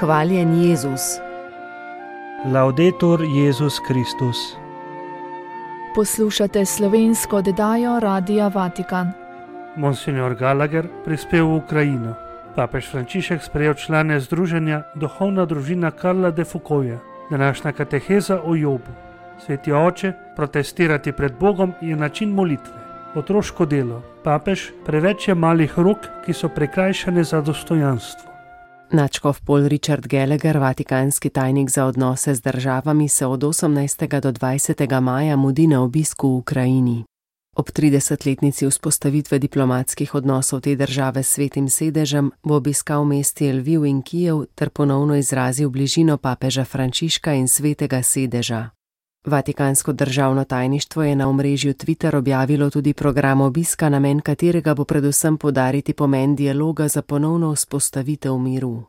Hvaljen Jezus. Laudetur Jezus Kristus. Poslušate slovensko oddajo Radia Vatikan. Monsignor Gallagher prispel v Ukrajino. Papež Frančišek sprejel člane združenja Duhovna družina Karla de Foucaulta. Današnja kateheza o Jobu. Sveti oče, protestirati pred Bogom je način molitve. Otroško delo. Papež, preveč je malih rok, ki so prikrajšane za dostojanstvo. Nadškof Paul Richard Gallagher, vatikanski tajnik za odnose z državami, se od 18. do 20. maja mudi na obisku v Ukrajini. Ob 30-letnici vzpostavitve diplomatskih odnosov te države s svetim sedežem bo obiskal mesti Lviv in Kijev ter ponovno izrazil bližino papeža Frančiška in svetega sedeža. Vatikansko državno tajništvo je na omrežju Twitter objavilo tudi program obiska, namen katerega bo predvsem poudariti pomen dialoga za ponovno vzpostavitev miru.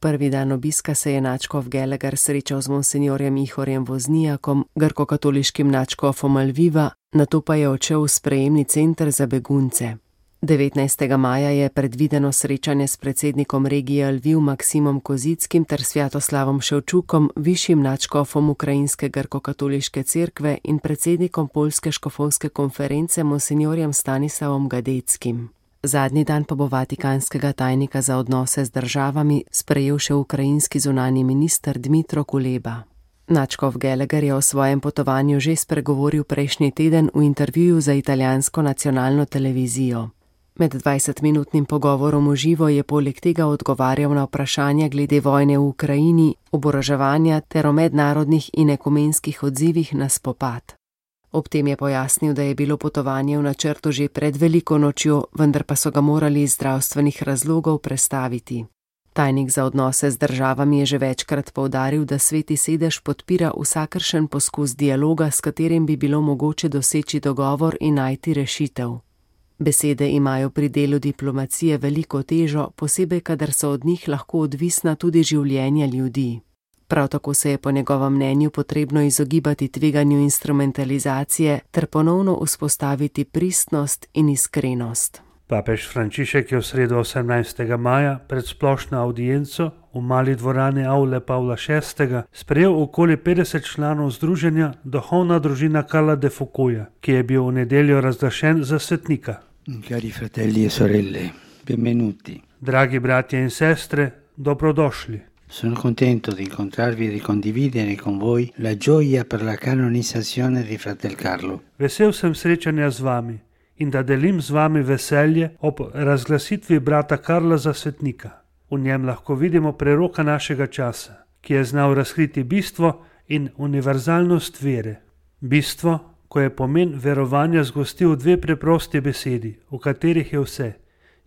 Prvi dan obiska se je nadškof Gallagher srečal z monsinjorjem Ihorjem Voznijakom, grkokatoliškim nadškofom Lviva, nato pa je odšel v sprejemni center za begunce. 19. maja je predvideno srečanje s predsednikom regije Lviv Maksimom Kozickim ter Svjatoslavom Ševčukom, višjim nadškofom Ukrajinske grkokatoliške cerkve in predsednikom Poljske škofovske konference monsinjorjem Stanislavom Gadeckim. Zadnji dan pa bo vatikanskega tajnika za odnose z državami sprejel še ukrajinski zunanji minister Dmitro Kuleba. Nadškof Gallagher je o svojem potovanju že spregovoril prejšnji teden v intervjuju za italijansko nacionalno televizijo. Med 20-minutnim pogovorom v živo je poleg tega odgovarjal na vprašanja glede vojne v Ukrajini, oboroževanja ter o mednarodnih in ekumenskih odzivih na spopad. Ob tem je pojasnil, da je bilo potovanje v načrtu že pred veliko nočjo, vendar pa so ga morali iz zdravstvenih razlogov prestaviti. Tajnik za odnose z državami je že večkrat poudaril, da sveti sedež podpira vsakršen poskus dialoga, s katerim bi bilo mogoče doseči dogovor in najti rešitev. Besede imajo pri delu diplomacije veliko težo, posebej kadar so od njih lahko odvisna tudi življenja ljudi. Prav tako se je po njegovem mnenju potrebno izogibati tveganju instrumentalizacije ter ponovno vzpostaviti pristnost in iskrenost. Papež Frančišek je v sredo 18. maja pred splošno audienco v mali dvorani Aule Pavla VI. Sprejel okoli 50 članov združenja Duhovna družina Karla de Foucaulta, ki je bil v nedeljo razglašen za svetnika. Cari fratelli e sorelle, benvenuti. Dragi bratje in sestre, dobrodošli. Sono contento di incontrarvi e di condividere con voi la gioia per la canonizzazione di fratel Carlo. Vesel sem srečanja z vami in da delim z vami veselje ob razglasitvi brata Karla za svetnika. V njem lahko vidimo preroka našega časa, ki je znal razkriti bistvo in univerzalnost vere. Bistvo, ko je pomen verovanja zgostil dve preprosti besedi, v katerih je vse: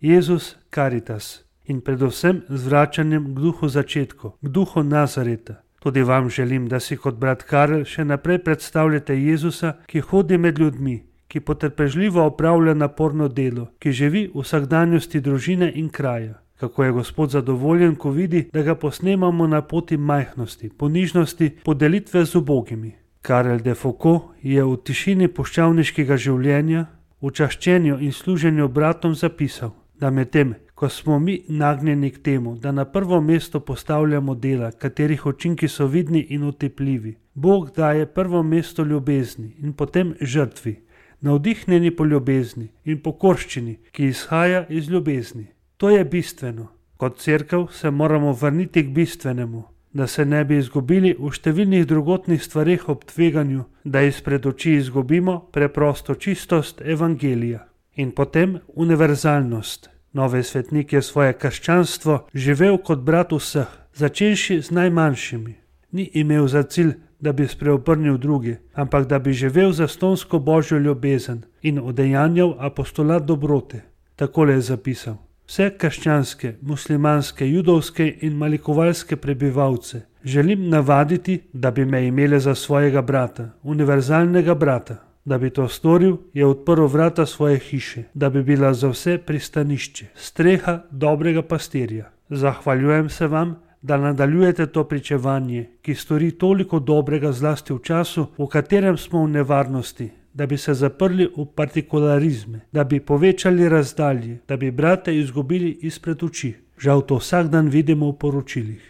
Jezus Caritas. In predvsem z vračanjem k duhu začetku, k duhu Nazareta. Tudi vam želim, da si kot brat Karel še naprej predstavljate Jezusa, ki hodi med ljudmi, ki potrpežljivo opravlja naporno delo, ki živi v vsakdanjosti družine in kraja. Kako je Gospod zadovoljen, ko vidi, da ga posnemamo na poti majhnosti, ponižnosti, podelitve z ubogimi. Karel de Foucault je v tišini puščavniškega življenja, v čaščenju in služenju bratom zapisal, da medtem, ko smo mi nagnjeni k temu, da na prvo mesto postavljamo dela, katerih učinki so vidni in otepljivi, Bog daje prvo mesto ljubezni in potem žrtvi, navdihnjeni po ljubezni in pokorščini, ki izhaja iz ljubezni. To je bistveno. Kot cerkev se moramo vrniti k bistvenemu, da se ne bi izgubili v številnih drugotnih stvareh ob tveganju, da izpred oči izgubimo preprosto čistost evangelija. In potem univerzalnost. Novi svetnik je svoje krščanstvo živel kot brat vseh, začenši z najmanjšimi. Ni imel za cilj, da bi spreobrnil druge, ampak da bi živel zastonsko božjo ljubezen in udejanjal apostolat dobrote. Takole je zapisal: Vse krščanske, muslimanske, judovske in malikovalske prebivalce želim navaditi, da bi me imele za svojega brata, univerzalnega brata. Da bi to storil, je odprl vrata svoje hiše, da bi bila za vse pristanišče, streha dobrega pastirja. Zahvaljujem se vam, da nadaljujete to pričevanje, ki stori toliko dobrega zlasti v času, v katerem smo v nevarnosti, da bi se zaprli v partikularizme, da bi povečali razdalje, da bi brate izgubili izpred oči. Žal to vsak dan vidimo v poročilih.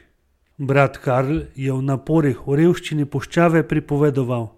Brat Karl je v naporih v revščini puščave pripovedoval: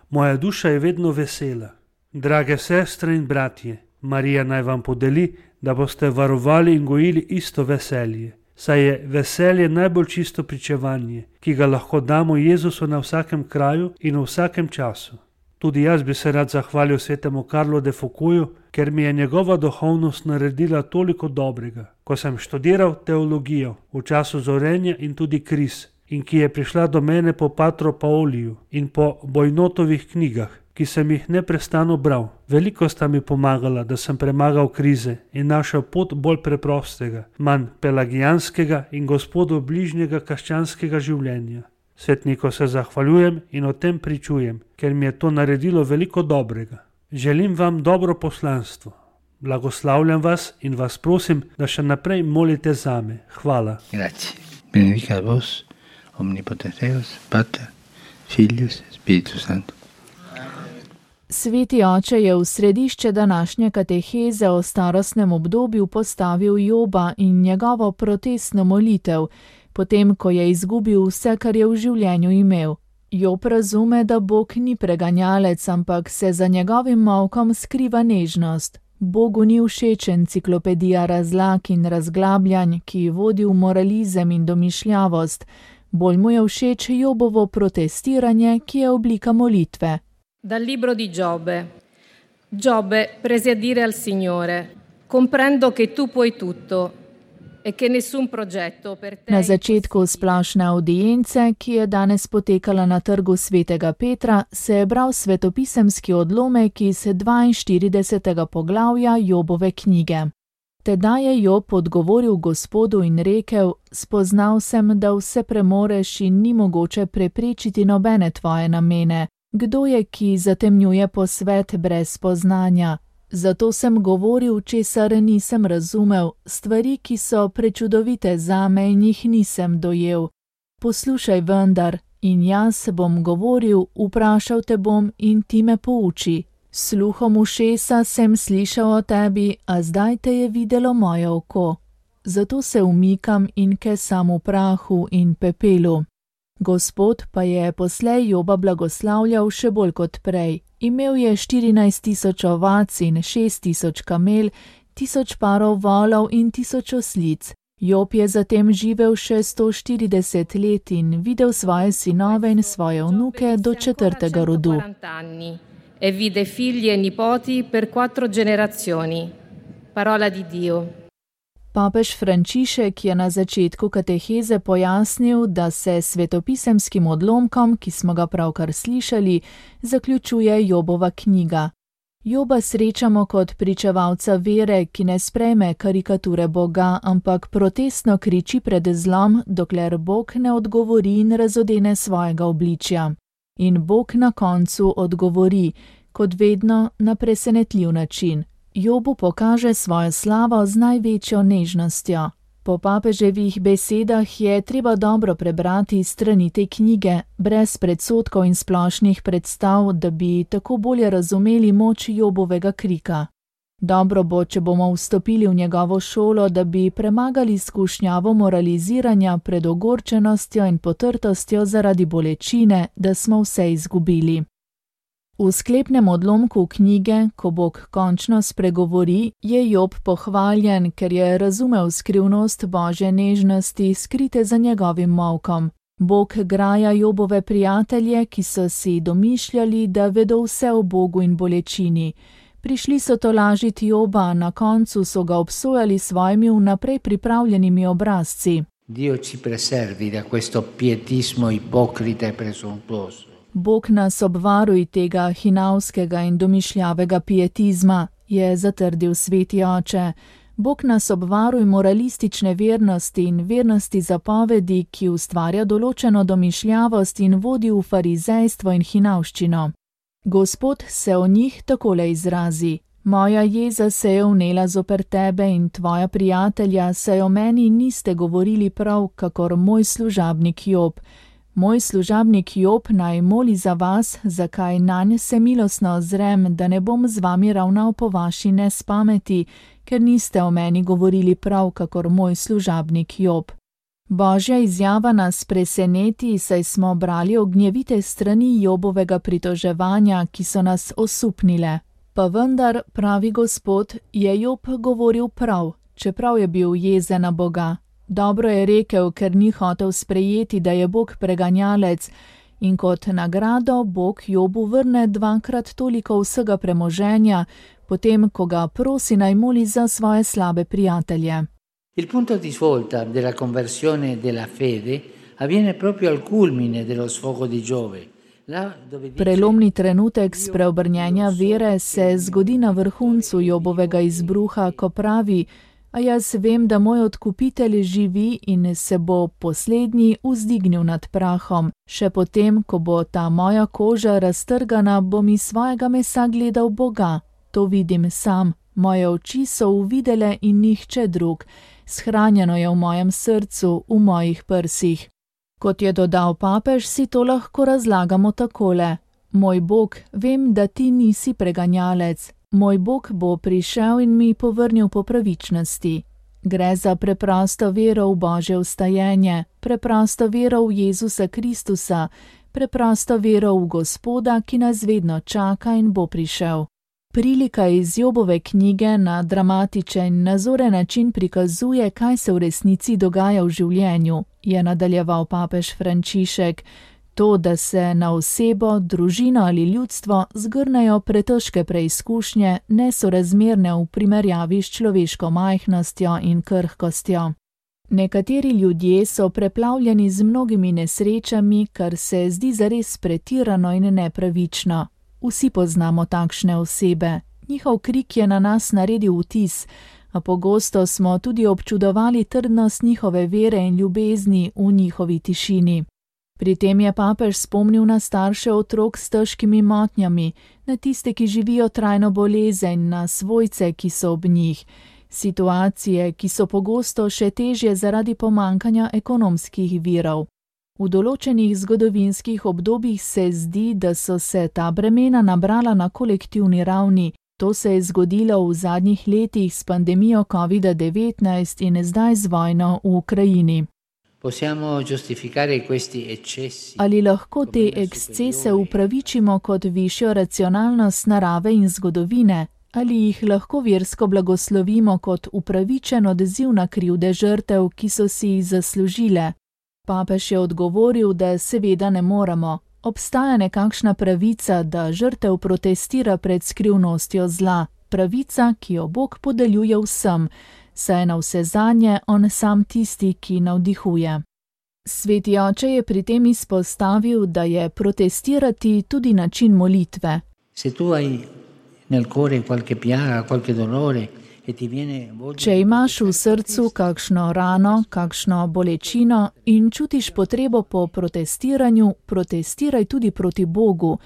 Moja duša je vedno vesela. Drage sestre in bratje, Marija naj vam podeli, da boste varovali in gojili isto veselje. Saj je veselje najbolj čisto pričevanje, ki ga lahko damo Jezusu na vsakem kraju in v vsakem času. Tudi jaz bi se rad zahvalil svetemu Karlu de Foucaultu, ker mi je njegova duhovnost naredila toliko dobrega, ko sem študiral teologijo v času zorenja in tudi kriz, in ki je prišla do mene po Patru Pauliju in po Bojnotovih knjigah, ki sem jih neprestano bral. Veliko sta mi pomagala, da sem premagal krize in našel pot bolj preprostega, manj pelagijanskega in Gospodu bližnjega krščanskega življenja. Svetniku se zahvaljujem in o tem pričujem, ker mi je to naredilo veliko dobrega. Želim vam dobro poslanstvo. Blagoslavljam vas in vas prosim, da še naprej molite zame. Hvala. Grazie. Benedicat vos, omnipotens Deus, Pater, Filius, Spiritus Sanctus. Sveti oče je v središče današnje kateheze o starostnem obdobju postavil Joba in njegovo protestno molitev, potem ko je izgubil vse, kar je v življenju imel. Job razume, da Bog ni preganjalec, ampak se za njegovim molkom skriva nežnost. Bogu ni všeč enciklopedija razlag in razglabljanj, ki vodi v moralizem in domišljavost. Bolj mu je všeč Jobovo protestiranje, ki je oblika molitve. Dal libro di Giobbe. Giobbe, presi a dire al Signore: Comprendo che tu puoi tutto e che nessun progetto per te. Na začetku splošne audience, ki je danes potekala na trgu svetega Petra, se je bral svetopisemski odlomek iz 42. poglavja Jobove knjige. Tedaj je Job odgovoril Gospodu in rekel: Spoznal sem, da vse premoreš in ni mogoče preprečiti nobene tvoje namene. Kdo je, ki zatemnjuje posvet brez spoznanja? Zato sem govoril, česar nisem razumel, stvari, ki so prečudovite zame in jih nisem dojel. Poslušaj vendar, in jaz bom govoril, vprašal te bom in ti me pouči. Sluhom ušesa sem slišal o tebi, a zdaj te je videlo moje oko. Zato se umikam in kesam v prahu in pepelu. Gospod pa je poslej Joba blagoslavljal še bolj kot prej. Imel je 14.000 ovac in 6.000 kamel, 1000 parov volov in 1000 oslic. Job je zatem živel še 140 let in videl svoje sinove in svoje vnuke do 4. rodu. E vide figli e nipoti per 4 generazioni. Parola di Dio. Papež Frančišek je na začetku kateheze pojasnil, da se svetopisemskim odlomkom, ki smo ga pravkar slišali, zaključuje Jobova knjiga. Joba srečamo kot pričevalca vere, ki ne sprejme karikature Boga, ampak protestno kriči pred zlom, dokler Bog ne odgovori in razodene svojega obličja. In Bog na koncu odgovori, kot vedno, na presenetljiv način. Jobu pokaže svojo slavo z največjo nežnostjo. Po papeževih besedah je treba dobro prebrati strani te knjige, brez predsodkov in splošnih predstav, da bi tako bolje razumeli moč Jobovega krika. Dobro bo, če bomo vstopili v njegovo šolo, da bi premagali skušnjavo moraliziranja pred ogorčenostjo in potrtostjo zaradi bolečine, da smo vse izgubili. V sklepnem odlomku knjige, ko Bog končno spregovori, je Job pohvaljen, ker je razumel skrivnost Božje nežnosti, skrite za njegovim molkom. Bog graja Jobove prijatelje, ki so si domišljali, da vedo vse o Bogu in bolečini. Prišli so tolažiti Joba, na koncu so ga obsojali svojimi vnaprej pripravljenimi obrazci. Dio ci preservi da questo pietismo ipocrita e presuntuoso. Bog nas obvaruj tega hinavskega in domišljavega pietizma, je zatrdil sveti oče. Bog nas obvaruj moralistične vernosti in vernosti zapovedi, ki ustvarja določeno domišljavost in vodi v farizejstvo in hinavščino. Gospod se o njih takole izrazi: Moja jeza se je vnela zoper tebe in tvoja prijatelja, saj o meni niste govorili prav, kakor moj služabnik Job. Moj služabnik Job naj moli za vas, zakaj nanj se milostno ozrem, da ne bom z vami ravnal po vaši nespameti, ker niste o meni govorili prav, kakor moj služabnik Job. Božja izjava nas preseneti, saj smo brali ognjevite strani Jobovega pritoževanja, ki so nas osupnile. Pa vendar, pravi Gospod, je Job govoril prav, čeprav je bil jezen na Boga. Dobro je rekel, ker ni hotel sprejeti, da je Bog preganjalec, in kot nagrado Bog Jobu vrne 2-krat toliko vsega premoženja, potem ko ga prosi naj moli za svoje slabe prijatelje. Il punto di svolta della conversione della fede avviene proprio al culmine dello sfogo di Giove. Prelomni trenutek spreobrnjenja vere se zgodi na vrhuncu Jobovega izbruha, ko pravi: a jaz vem, da moj odkupitelj živi in se bo poslednji vzdignil nad prahom. Še potem, ko bo ta moja koža raztrgana, bom iz svojega mesa gledal Boga. To vidim sam. Moje oči so uvidele in nihče drug. Shranjeno je v mojem srcu, v mojih prsih. Kot je dodal papež, si to lahko razlagamo takole. Moj Bog, vem, da ti nisi preganjalec. Moj Bog bo prišel in mi povrnil po pravičnosti. Gre za preprosto vero v Božje vstajenje, preprosto vero v Jezusa Kristusa, preprosto vero v Gospoda, ki nas vedno čaka in bo prišel. Prilika iz Jobove knjige na dramatičen, nazoren način prikazuje, kaj se v resnici dogaja v življenju, je nadaljeval papež Frančišek. To, da se na osebo, družino ali ljudstvo zgrnejo pretežke preizkušnje, nesorazmerne v primerjavi s človeško majhnostjo in krhkostjo. Nekateri ljudje so preplavljeni z mnogimi nesrečami, kar se zdi zares pretirano in nepravično. Vsi poznamo takšne osebe. Njihov krik je na nas naredil vtis, a pogosto smo tudi občudovali trdnost njihove vere in ljubezni v njihovi tišini. Pri tem je papež spomnil na starše otrok s težkimi motnjami, na tiste, ki živijo trajno bolezen, na svojce, ki so ob njih. Situacije, ki so pogosto še težje zaradi pomankanja ekonomskih virov. V določenih zgodovinskih obdobjih se zdi, da so se ta bremena nabrala na kolektivni ravni. To se je zgodilo v zadnjih letih s pandemijo COVID-19 in zdaj z vojno v Ukrajini. Ali lahko te ekscese upravičimo kot višjo racionalnost narave in zgodovine? Ali jih lahko versko blagoslovimo kot upravičen odziv na krivde žrtev, ki so si jih zaslužile? Papež je odgovoril, da seveda ne moremo. Obstaja nekakšna pravica, da žrtev protestira pred skrivnostjo zla. Pravica, ki jo Bog podeljuje vsem, saj je navsezadnje on sam tisti, ki navdihuje. Sveti oče je pri tem izpostavil, da je protestirati tudi način molitve. Če imaš v srcu kakšno rano, kakšno bolečino in čutiš potrebo po protestiranju, protestiraj tudi proti Bogu.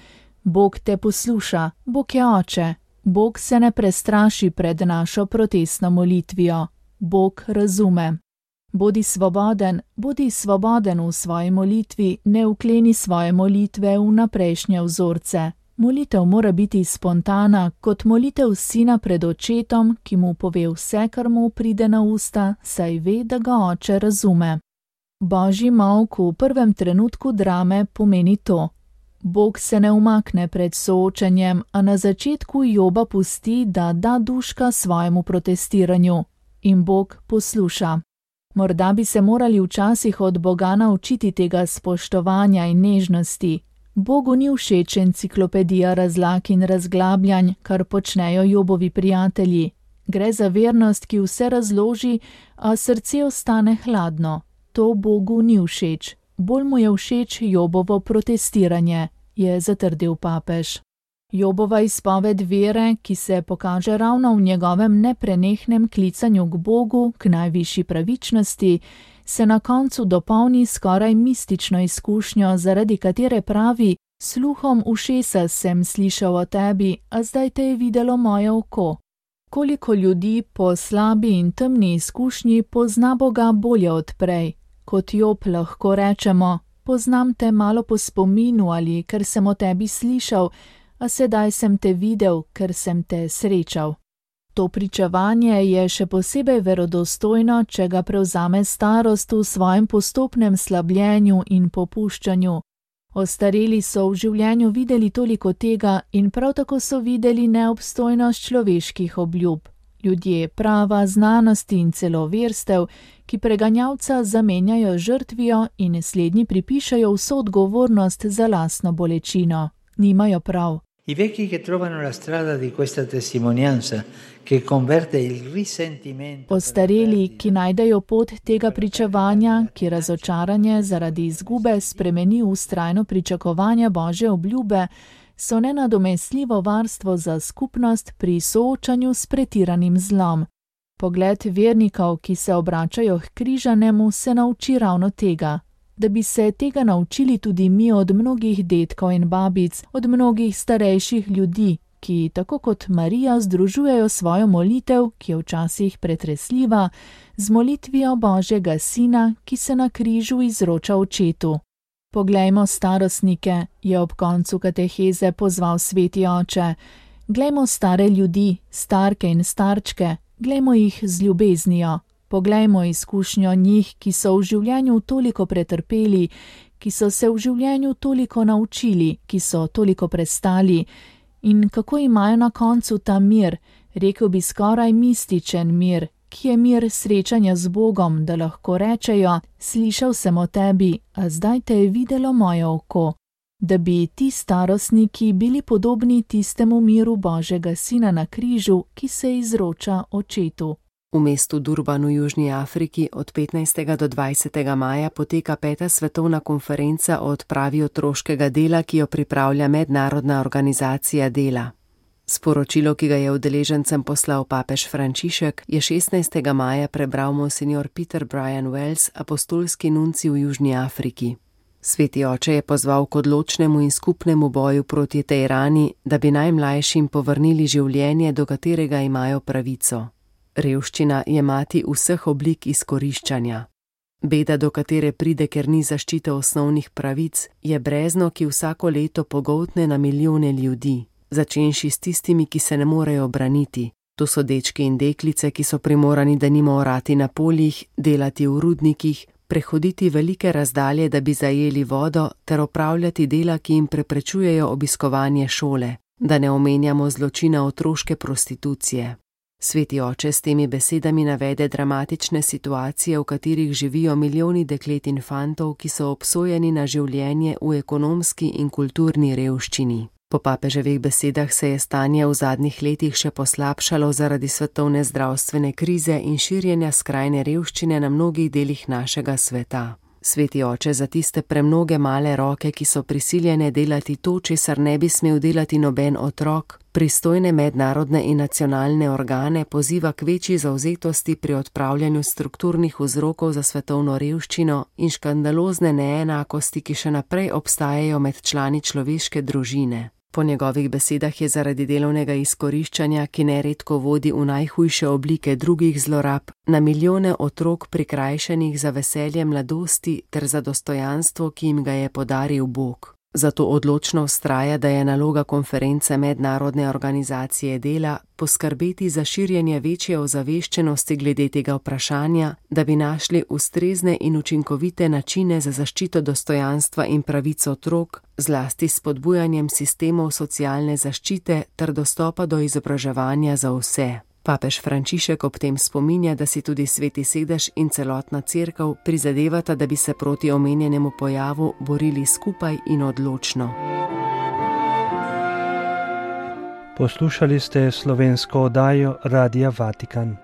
Bog te posluša, Bog je oče. Bog se ne prestraši pred našo protestno molitvijo. Bog razume. Bodi svoboden v svoji molitvi, ne vkleni svoje molitve v naprejšnje vzorce. Molitev mora biti spontana, kot molitev sina pred očetom, ki mu pove vse, kar mu pride na usta, saj ve, da ga oče razume. Božji molk v prvem trenutku drame pomeni to. Bog se ne umakne pred soočenjem, a na začetku Joba pusti, da da duška svojemu protestiranju. In Bog posluša. Morda bi se morali včasih od Boga naučiti tega spoštovanja in nežnosti. Bogu ni všeč enciklopedija razlag in razglabljanj, kar počnejo Jobovi prijatelji. Gre za vernost, ki vse razloži, a srce ostane hladno. To Bogu ni všeč. Bolj mu je všeč Jobovo protestiranje, je zatrdil papež. Jobova izpoved vere, ki se pokaže ravno v njegovem neprenehnem klicanju k Bogu, k najvišji pravičnosti, se na koncu dopolni skoraj mistično izkušnjo, zaradi katere pravi: sluhom ušesa sem slišal o tebi, a zdaj te je videlo moje oko. Koliko ljudi po slabi in temni izkušnji pozna Boga bolje od prej. Kot Job lahko rečemo: poznam te malo po spominu ali ker sem o tebi slišal, a sedaj sem te videl, ker sem te srečal. To pričevanje je še posebej verodostojno, če ga prevzame starost v svojem postopnem slabljenju in popuščanju. Ostareli so v življenju videli toliko tega in prav tako so videli neobstojnost človeških obljub. Ljudje prava, znanosti in celo verstev, ki preganjavca zamenjajo žrtvijo in slednji pripišajo vso odgovornost za lastno bolečino. Nimajo prav. I vecchi che trovano la strada di questa testimonianza che converte il risentimento. Ostareli, ki najdejo pot tega pričevanja, ki razočaranje zaradi izgube spremeni v vztrajno pričakovanje Božje obljube, so nenadomestljivo varstvo za skupnost pri soočanju s pretiranim zlom. Pogled vernikov, ki se obračajo k križanemu, se nauči ravno tega. Da bi se tega naučili tudi mi od mnogih dedkov in babic, od mnogih starejših ljudi, ki tako kot Marija združujejo svojo molitev, ki je včasih pretresljiva, z molitvijo Božjega Sina, ki se na križu izroča Očetu. Poglejmo starostnike, je ob koncu kateheze pozval sveti oče. Glejmo stare ljudi, starke in starčke, glejmo jih z ljubeznijo. Poglejmo izkušnjo njih, ki so v življenju toliko pretrpeli, ki so se v življenju toliko naučili, ki so toliko prestali in kako imajo na koncu ta mir, rekel bi skoraj mističen mir, ki je mir srečanja z Bogom, da lahko rečejo, slišal sem o tebi, a zdaj te je videlo moje oko. Da bi ti starostniki bili podobni tistemu miru Božjega Sina na križu, ki se izroča Očetu. V mestu Durban v Južni Afriki od 15. do 20. maja poteka 5. svetovna konferenca o odpravi otroškega dela, ki jo pripravlja Mednarodna organizacija dela. Sporočilo, ki ga je udeležencem poslal papež Frančišek, je 16. maja prebral monsignor Peter Brian Wells, apostolski nuncij v Južni Afriki. Sveti oče je pozval k odločnemu in skupnemu boju proti tej rani, da bi najmlajšim povrnili življenje, do katerega imajo pravico. Revščina je mati vseh oblik izkoriščanja. Beda, do katere pride, ker ni zaščite osnovnih pravic, je brezno, ki vsako leto pogoltne na milijone ljudi, začenši s tistimi, ki se ne morejo braniti. To so dečki in deklice, ki so primorani denimo orati na poljih, delati v rudnikih, prehoditi velike razdalje, da bi zajeli vodo, ter opravljati dela, ki jim preprečujejo obiskovanje šole, da ne omenjamo zločina otroške prostitucije. Sveti oče s temi besedami navede dramatične situacije, v katerih živijo milijoni deklet in fantov, ki so obsojeni na življenje v ekonomski in kulturni revščini. Po papeževih besedah se je stanje v zadnjih letih še poslabšalo zaradi svetovne zdravstvene krize in širjenja skrajne revščine na mnogih delih našega sveta. Sveti oče za tiste premnoge male roke, ki so prisiljene delati to, česar ne bi smel delati noben otrok, pristojne mednarodne in nacionalne organe poziva k večji zavzetosti pri odpravljanju strukturnih vzrokov za svetovno revščino in škandalozne neenakosti, ki še naprej obstajajo med člani človeške družine. Po njegovih besedah je zaradi delovnega izkoriščanja, ki neredko vodi v najhujše oblike drugih zlorab, na milijone otrok prikrajšanih za veselje mladosti ter za dostojanstvo, ki jim ga je podaril Bog. Zato odločno vztraja, da je naloga konference Mednarodne organizacije dela poskrbeti za širjenje večje ozaveščenosti glede tega vprašanja, da bi našli ustrezne in učinkovite načine za zaščito dostojanstva in pravic otrok, zlasti s spodbujanjem sistemov socialne zaščite ter dostopa do izobraževanja za vse. Papež Frančišek ob tem spominja, da si tudi Sveti sedež in celotna cerkev prizadevata, da bi se proti omenjenemu pojavu borili skupaj in odločno. Poslušali ste slovensko oddajo Radia Vatikan.